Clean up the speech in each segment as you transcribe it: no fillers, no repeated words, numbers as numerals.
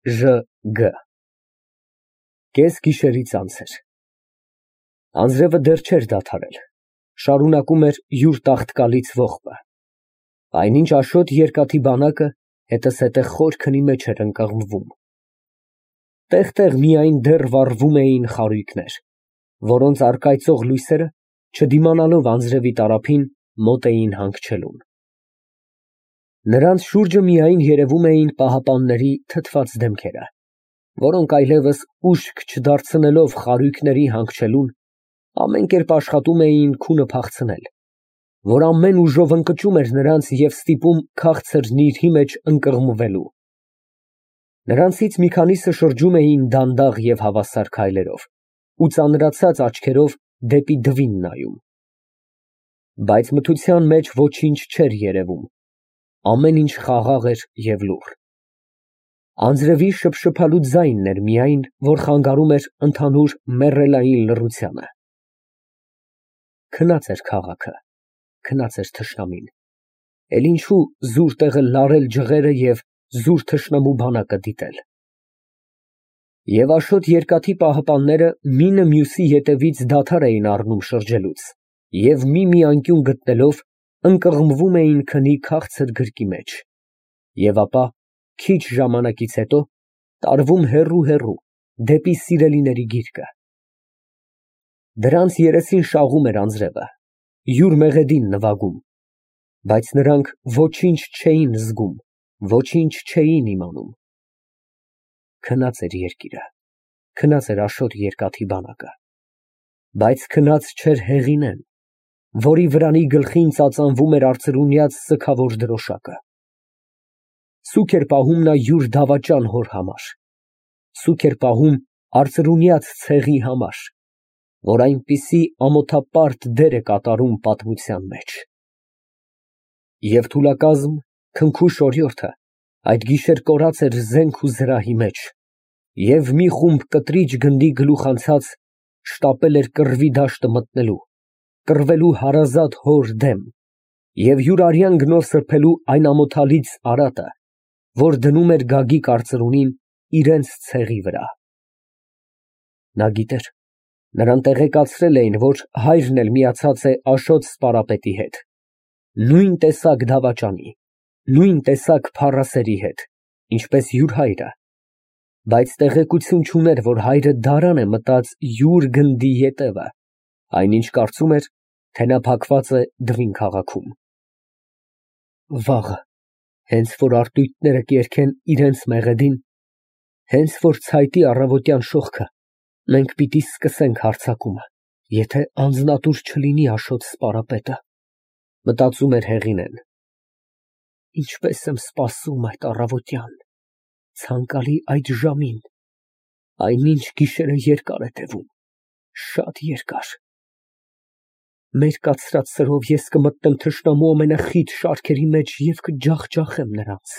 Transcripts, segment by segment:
Ժ. Կես գիշերից անց էր։ Անձրևը դեռ չէր դադարել, շարունակում էր յուր տաղտկալից ողբը, այնինչ Աշոտ երկաթի բանակը հետզհետե խոր քնի մեջ էր ընկղմվում։ Տեղ֊տեղ միայն դեռ վառվում էին խարույկներ, որոնց առկայծող լույսերը, չդիմանալով անձրևի տարափին, մոտ էին հանգչելուն։ Նրանց շուրջը միայն երևում էին պահապանների թթված դեմքերը, որոնք այլևս ուշք չդարձնելով խարույկների հանգչելուն, ամեն կերպ աշխատում էին քունը փախցնել, որ ամեն ուժով ընկճում էր նրանց և ստիպում քաղցր նիրհի մեջ ընկղմվելու։ Նրանցից մի քանիսը շրջում էին դանդաղ և հավասար քայլերով ու ծանրացած աչքերով դեպի դվին նայում։ Բայց մթության մեջ ոչինչ չէր երևում, ամեն ինչ խաղաղ էր և լուռ։ Անձրևի շփշփալու ձայնն էր միայն, որ խանգարում էր ընդհանուր մեռելային լռությանը։ Քնած էր քաղաքը, քնած էր թշնամին, էլ ինչու զուր տեղը լարել ջղերը և զուր թշնամու բանակը դիտել։ Եվ Աշոտ երկաթի պահապանները մինը մյուսի ետևից դադար էին առնում շրջելուց և մի անկյուն գտնելով ընկղմվում էին քնի քաղցր գրկի մեջ, և ապա քիչ ժամանակից հետո տարվում հեռու դեպի սիրելիների գիրկը։ Դրանց երեսին շաղում էր անձրևը, յուր մեղեդին նվագում, բայց նրանք ոչինչ չէին զգում, ոչինչ չէին իմանում։ Քնած էր երկիրը, քնած էր Աշոտ երկաթի բանակը, բայց քնած չէր Հեղինեն, որի վրանի գլխին ծածանվում էր արծրունյաց սգավոր դրոշակը։ Սուգ էր պահում նա յուր դավաճան հոր համար, սուգ էր պահում արծրունյաց ցեղի համար, որ այնպիսի ամոթապարտ դեր է կատարում պատմության մեջ։ Եվ թուլակազմ, քնքուշ օրիորդը այդ գիշեր կորած էր զենք ու զրահի մեջ, և մի խումբ կտրիչ գնդի գլուխանցած շտապել էր կռվի դաշտը մտնելու, կռվելու հարազատ հոր դեմ և յուր արյան գնով սրբելու այն ամոթալից արատը, որ դնում էր Գագիկ արծրունին իրենց ցեղի վրա։ Նա գիտեր, նրան տեղեկացրել էին, որ հայրն էլ միացած է Աշոտ սպարապետի հետ, նույն տեսակ դավաճանի, նույն տեսակ փառասերի հետ, ինչպես յուր հայրը, բայց տեղեկություն չուներ, որ հայրը դարան է մտած յուր գնդի ետևը, այնինչ կարծում էր, թե նա փակված է Դվին քաղաքում։ Վաղը, հենց որ արտույտները կերքեն իրենց մեղեդին, հենց որ ցայտի առավոտյան շողքը, մենք պիտի սկսենք հարձակումը, եթե անձնատուր չլինի Աշոտ սպարապետը, մտածում էր Հեղինեն։ Ինչպես եմ սպասում այդ առավոտյան, ցանկալի այդ ժամին, այնինչ գիշերը երկար է տևում, շատ երկար։ Մեր կացրած սրով ես կմտնեմ թշնամու ամենախիտ շարքերի մեջ և կջախջախեմ նրանց։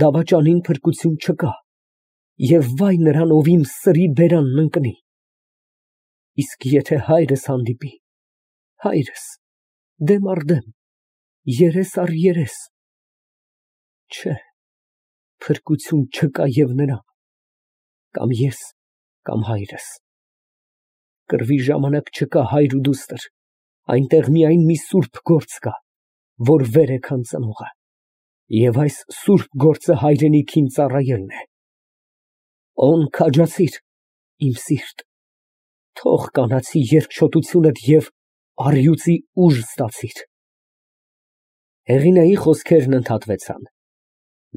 Դավաճանին փրկություն չկա, և վայ նրան, ով իմ սրի բերանն ընկնի։ Իսկ եթե հայրս հանդիպի, հայրս, դեմ առ դեմ, երես առ երես, չէ, փրկություն չկա և նրան, կամ ես, կամ հայրս։ Կռվի ժամանակ չկա հայր ու դուստր, այնտեղ միայն մի սուրբ գործ կա, որ վեր է քան ծնողը, և այս սուրբ գործը հայրենիքին ծառայելն է։ Օն քաջացիր, իմ սիրտ, թող կանացի երկչոտությունդ և առյուծի ուժ ստացիր։ Հեղինեի խոսքերն ընդհատվեցան,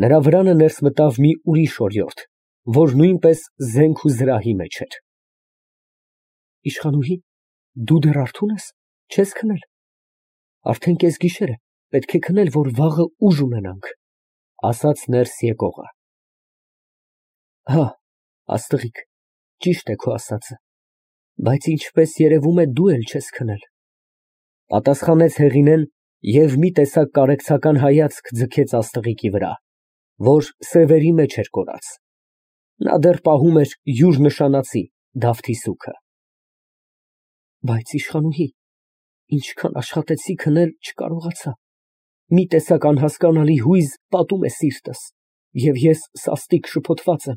նրա վրանը ներս մտավ մի ուրիշ օրիորդ, որ նույնպես զենք ու զրահի մեջ էր։ Իշխանուհի, դու դեռ արթո՞ւն ես, չես քնել։ Արդեն կեսգիշեր է, պետք է քնել, որ վաղը ուժ ունենանք, ասաց ներս եկողը։ Հա, աստղիկ, ճիշտ է քո ասածը, բայց ինչպես երևում է դու էլ չես քնել, պատասխանեց Հեղինեն և մի տեսակ կարեկցական հայացք ձգեց աստղիկի վրա, որ սևերի մեջ էր կորած։ Նա դեռ պահում էր յուր նշանածի Դավթի սուգը։ Բայց իշխանուհի, ինչքան աշխատեցի քնել, չկարողացա, մի տեսակ անհասկանալի հույզ պատում է սիրտս, Եվ ես սաստիկ շփոթված եմ։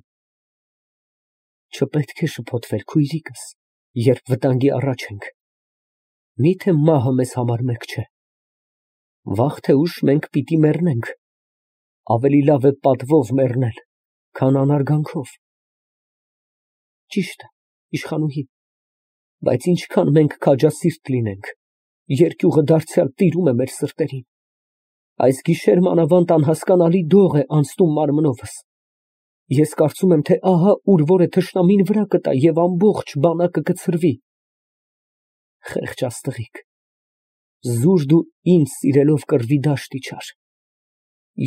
Չպետք է շփոթվել, քույրիկս, երբ վտանգի առաջ ենք։ Միթե մահը մեզ համար մերկ չէ։ Վաղ թե ուշ մենք պիտի մեռնենք։ Ավելի լավ է պատվով մեռնել, քան անարգանքով։ Ճիշտ է, իշխանուհի, բայց ինչքան մենք քաջասիրտ լինենք, երկյուղը դարձյալ տիրում է մեր սրտերին։ Այս գիշեր մանավանդ անհասկանալի դող է անցնում մարմնովս։ Ես կարծում եմ, թե ահա ուր որ է թշնամին վրա կտա և ամբողջ բանակը կցրվի։ Խեղճ աստղիկ, զուր դու ինձ սիրելով կռվի դաշտ իջար։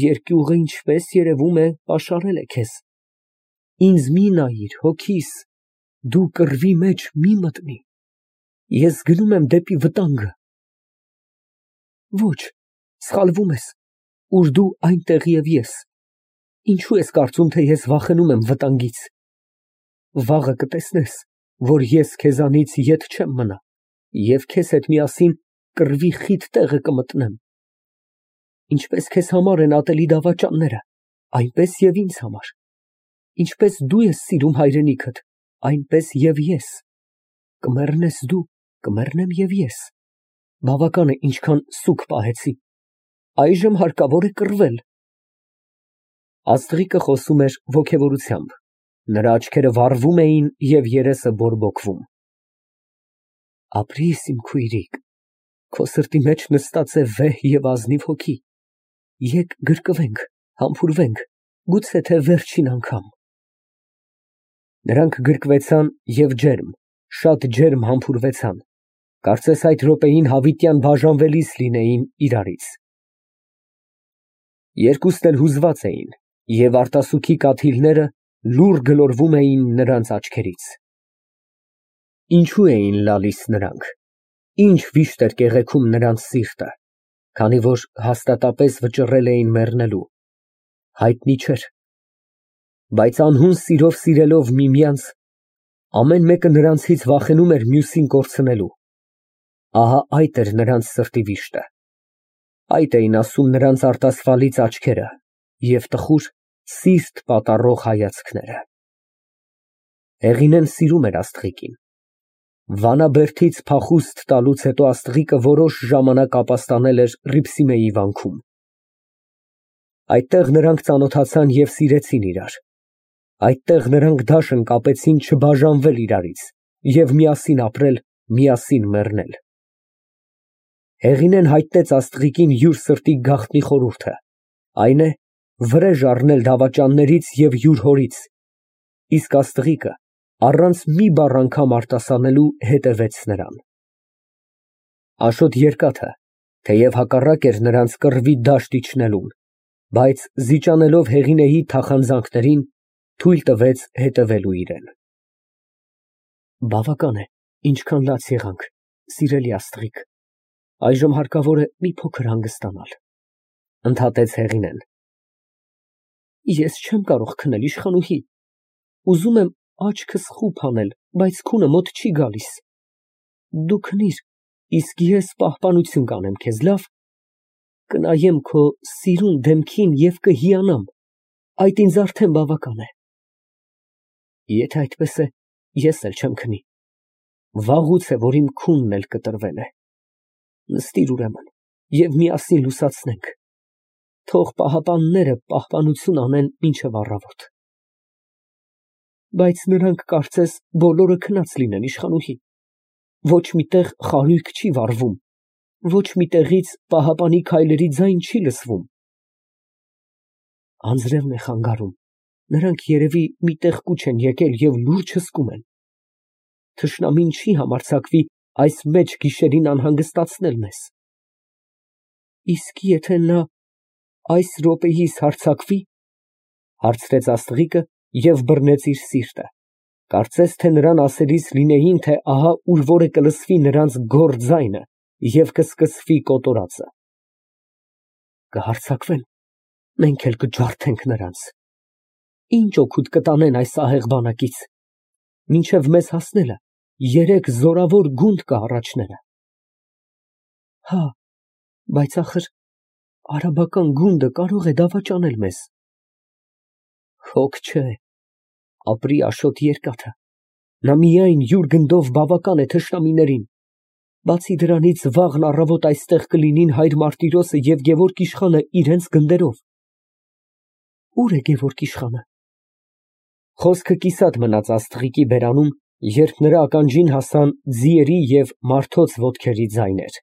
Երկյուղը, ինչպես երևում է, պաշարել է քեզ։ Ինձ մի նայիր, հոգիս, դու կռվի մեջ մի մտնի։ Ես գնում եմ դեպի վտանգը։ Ոչ, սխալվում ես, ուր դու այնտեղ և ես։ Ինչու ես կարծում, թե ես վախենում եմ վտանգից։ Վաղը կտեսնես, որ ես քեզանից ետ չեմ մնա, և քեզ հետ միասին կռվի խիտ տեղը կմտնեմ։ Ինչպես քեզ համար են ատելի դավաճանները, այնպես և ինձ համար։ Ինչպես դու ես սիրում հայրենիքդ, այնպես և ես։ Կմեռնես դու, կմեռնեմ և ես։ Բավական է ինչքան սուգ պահեցի։ Այժմ հարկավոր է կռվել։ Աստղիկը խոսում էր ոգևորությամբ, նրա աչքերը վառվում էին և երեսը բորբոքվում։ Ապրիս, իմ քույրիկ, քո սրտի մեջ նստած է վեհ և ազնիվ հոգի։ Եկ գրկվենք, համբուրվենք, գուցե թե վերջին անգամ։ Նրանք գրկվեցան և շատ ջերմ համբուրվեցան, կարծես այդ րոպեին հավիտյան բաժանվելիս լինեին իրարից։ Երկուսն էլ հուզված էին, և արտասուքի կաթիլները լուռ գլորվում էին նրանց աչքերից։ Ինչու էին լալիս նրանք, ինչ վիշտ էր կեղեքում նրանց սիրտը, քանի որ հաստատապես վճռել էին մեռնելու, հայտնի չէր։ Բայց անհուն սիրով սիրելով միմյանց, ամեն մեկը նրանցից վախենում էր մյուսին կորցնելու։ Ահա այդ էր նրանց սրտի վիշտը։ Այդ էին ասում նրանց արտասվալից աչքերը և տխուր, սիրտ պատառող հայացքները։ Հեղինեն սիրում էր աստղիկին։ Վանաբերդից փախուստ տալուց հետո աստղիկը որոշ ժամանակ ապաստանել էր Հռիփսիմեի վանքում։ Այդտեղ նրանք ծանոթացան և սիրեցին իրար։ Այդտեղ նրանք դաշն կապեցին չբաժանվել իրարից և միասին ապրել, միասին մեռնել։ Հեղինեն հայտնեց աստղիկին յուր սրտի գաղտնի խորհուրդը, այն է, վրեժ առնել դավաճաններից և յուր հորից, իսկ աստղիկը առանց մի բառ անգամ արտասանելու հետևեց նրան։ Աշոտ երկաթը, թեև հակառակ էր նրանց կռվի դաշտ իջնելուն, բայց զիջանելով Հեղինեի թախանձանքներին, թույլ տվեց հետևելու իրան։ Բավական է, ինչքան լաց եղանք, սիրելի աստղիկ, այժմ հարկավոր է մի փոքր հանգստանալ, ընդհատեց Հեղինեն։ Ես չեմ կարող քնել, իշխանուհի, ուզում եմ աչքս խուփ անել, բայց քունը մոտ չի գալիս։ Դու քնիր, իսկ ես պահպանություն կանեմ քեզ, լավ։ Կնայեմ քո սիրուն դեմքին և կհիանամ, այդ ինձ արդեն բավական է։ Եթե այդպես է, ես էլ չեմ քնի։ Վաղուց է, որ իմ քունն էլ կտրվել է։ Նստիր ուրեմն և միասին լուսացնենք։ Թող պահապանները պահպանություն անեն մինչև առավոտ։ Բայց նրանք կարծես բոլորը քնած լինեն, իշխանուհի։ Ոչ մի տեղ խարույկ չի վառվում, ոչ մի տեղից պահապանի քայլերի ձայն չի լսվում։ Անձրևն է խանգարում, նրանք երևի մի տեղ կուչ են եկել և լուրջ հսկում են։ Թշնամին չի համարձակվի այս մեծ գիշերին անհանգստացնել մեզ։ Իսկ եթե նա այս րոպեիս հարձակվի, հարցրեց աստղիկը և բռնեց իր սիրտը, կարծես թե նրան ասելիս լինեին, թե ահա ուր որ է կլսվի նրանց գոռ ձայնը և կսկսվի կոտորածը։ Կհարձակվեն, մենք էլ կջարդենք նրանց։ Ինչ օգուտ կտանեն այս ահեղ բանակից։ Մինչև մեզ հասնելը 3 զորավոր գունդ կա առաջները։ Հա, բայց ախր արաբական գունդը կարող է դավաճանել մեզ։ Հոգ չէ, ապրի Աշոտ Երկաթը, նա միայն յուր գնդով բավական է թշնամիներին, բացի դրանից վաղն առավոտ այստեղ կլինին հայր Մարտիրոսը և Գևորգ իշխանը իրենց գնդերով։ Ո՞ւր է Գևորգ իշխանը։ Խոսքը կիսատ մնաց աստղիկի բերանում, երբ նրա ականջին հասան ձիերի և մարդոց ոտքերի ձայներ։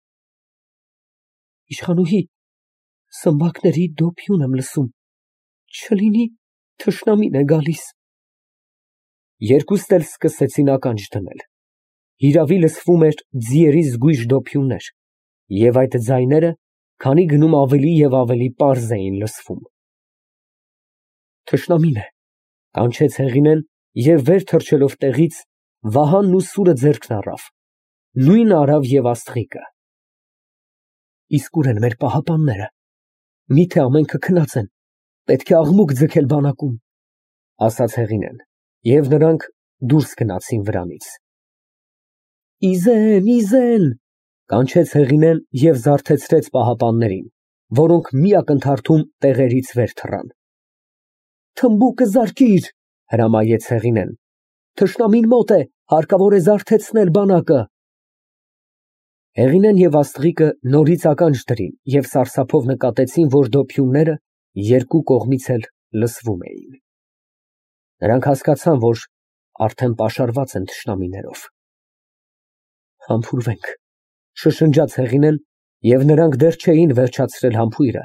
Իշխանուհի, սմբակների դոփյուն եմ լսում, չլինի թշնամին է գալիս։ Երկուսն էլ սկսեցին ականջ դնել։ Հիրավի լսվում էր ձիերի զգույշ դոփյուններ, և այդ ձայները քանի գնում ավելի և ավելի պարզ էին լսվում։ Թշնամին է, կանչեց Հեղինեն և վեր թռչելով տեղից, Վահանն ու սուրը ձեռքն առավ, նույնը արավ և աստղիկը։ Իսկ ուր են մեր պահապանները, միթե ամենքը քնած են, պետք է աղմուկ ձգել բանակում, ասաց Հեղինեն, և նրանք դուրս գնացին վրանից։ Իզեն, կանչեց Հեղինեն և զարթեցրեց պահապաններին, որոնք մի ակնթարթում տեղերից վեր թռան։ Թմբուկը զարկիր, հրամայեց Հեղինեն, թշնամին մոտ է, հարկավոր է զարթեցնել բանակը։ Հեղինեն և աստղիկը նորից ականջ դրին և սարսափով նկատեցին, որ դոփյունները երկու կողմից էլ լսվում էին։ Նրանք հասկացան, որ արդեն պաշարված են թշնամիներով։ Համբուրվենք, շշնջաց Հեղինեն, և նրանք դեռ չէին վերջացրել համբույրը,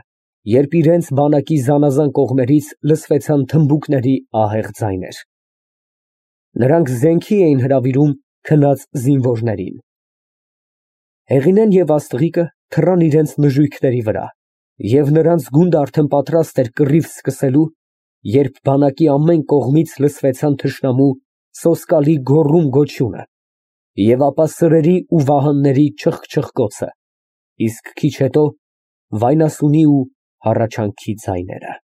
երբ իրենց բանակի զանազան կողմերից լսվեցան թմբուկների ահեղ ձայներ։ Նրանք զենքի էին հրավիրում քնած զինվորներին։ Հեղինեն և աստղիկը թռան իրենց նժույգների վրա, և նրանց գունդը արդեն պատրաստ էր կռիվ սկսելու, երբ բանակի ամեն կողմից լսվեցան թշնամու սոսկալի գոռում֊գոչյունը, և ապա սրերի ու վահանների չխկչխկոցը, իսկ քիչ հետո՝ վայնասունի ու հառաչանքի ձայները։